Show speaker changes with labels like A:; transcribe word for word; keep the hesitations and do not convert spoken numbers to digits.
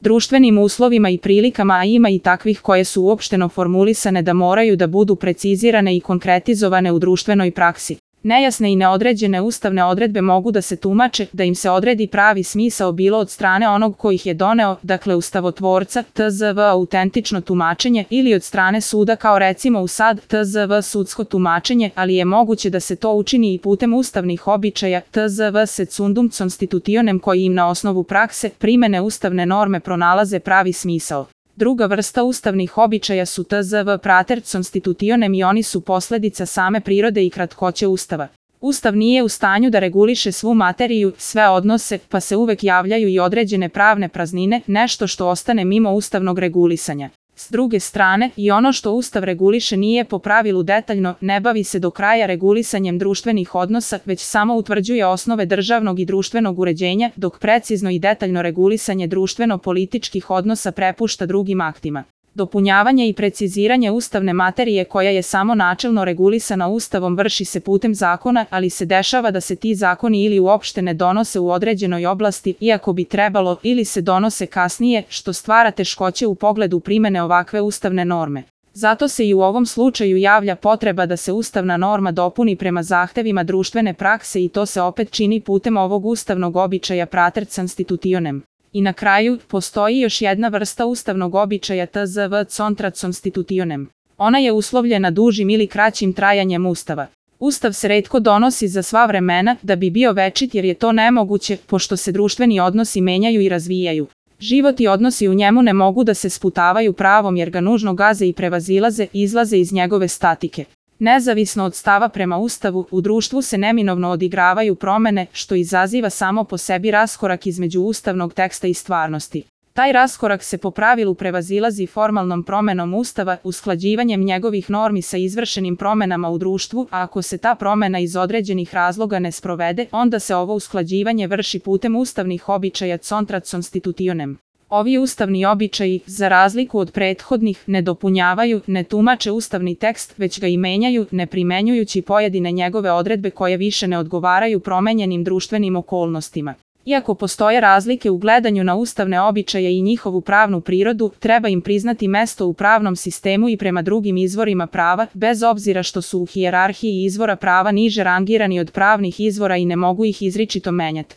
A: društvenim uslovima i prilikama, a ima i takvih koje su uopšteno formulisane da moraju da budu precizirane i konkretizovane u društvenoj praksi. Nejasne i neodređene ustavne odredbe mogu da se tumače, da im se odredi pravi smisao bilo od strane onog ko ih je doneo, dakle ustavotvorca, tzv. Autentično tumačenje, ili od strane suda kao recimo u sad, tzv. Sudsko tumačenje, ali je moguće da se to učini i putem ustavnih običaja, tzv. Secundum constitutionem, koji im na osnovu prakse, primene ustavne norme pronalaze pravi smisao. Druga vrsta ustavnih običaja su tzv. Prater constitutionem i oni su posledica same prirode i kratkoće Ustava. Ustav nije u stanju da reguliše svu materiju, sve odnose, pa se uvek javljaju i određene pravne praznine, nešto što ostane mimo ustavnog regulisanja. S druge strane, i ono što Ustav reguliše nije po pravilu detaljno, ne bavi se do kraja regulisanjem društvenih odnosa, već samo utvrđuje osnove državnog i društvenog uređenja, dok precizno i detaljno regulisanje društveno-političkih odnosa prepušta drugim aktima. Dopunjavanje i preciziranje ustavne materije koja je samo načelno regulisana Ustavom vrši se putem zakona, ali se dešava da se ti zakoni ili uopšte ne donose u određenoj oblasti, iako bi trebalo, ili se donose kasnije, što stvara teškoće u pogledu primene ovakve ustavne norme. Zato se i u ovom slučaju javlja potreba da se ustavna norma dopuni prema zahtevima društvene prakse i to se opet čini putem ovog ustavnog običaja Prater constitutionem. I na kraju, postoji još jedna vrsta ustavnog običaja tzv. Contra constitutionem. Ona je uslovljena dužim ili kraćim trajanjem Ustava. Ustav se retko donosi za sva vremena da bi bio večit jer je to nemoguće, pošto se društveni odnosi menjaju i razvijaju. Život i odnosi u njemu ne mogu da se sputavaju pravom jer ga nužno gaze i prevazilaze, izlaze iz njegove statike. Nezavisno od stava prema Ustavu, u društvu se neminovno odigravaju promene, što izaziva samo po sebi raskorak između ustavnog teksta i stvarnosti. Taj raskorak se po pravilu prevazilazi formalnom promenom Ustava, usklađivanjem njegovih normi sa izvršenim promenama u društvu, a ako se ta promena iz određenih razloga ne sprovede, onda se ovo usklađivanje vrši putem ustavnih običaja Contra constitutionem. Ovi ustavni običaji, za razliku od prethodnih, ne dopunjavaju, ne tumače ustavni tekst, već ga i menjaju, ne primenjujući pojedine njegove odredbe koje više ne odgovaraju promenjenim društvenim okolnostima. Iako postoje razlike u gledanju na ustavne običaje i njihovu pravnu prirodu, treba im priznati mesto u pravnom sistemu i prema drugim izvorima prava, bez obzira što su u hijerarhiji izvora prava niže rangirani od pravnih izvora i ne mogu ih izričito menjati.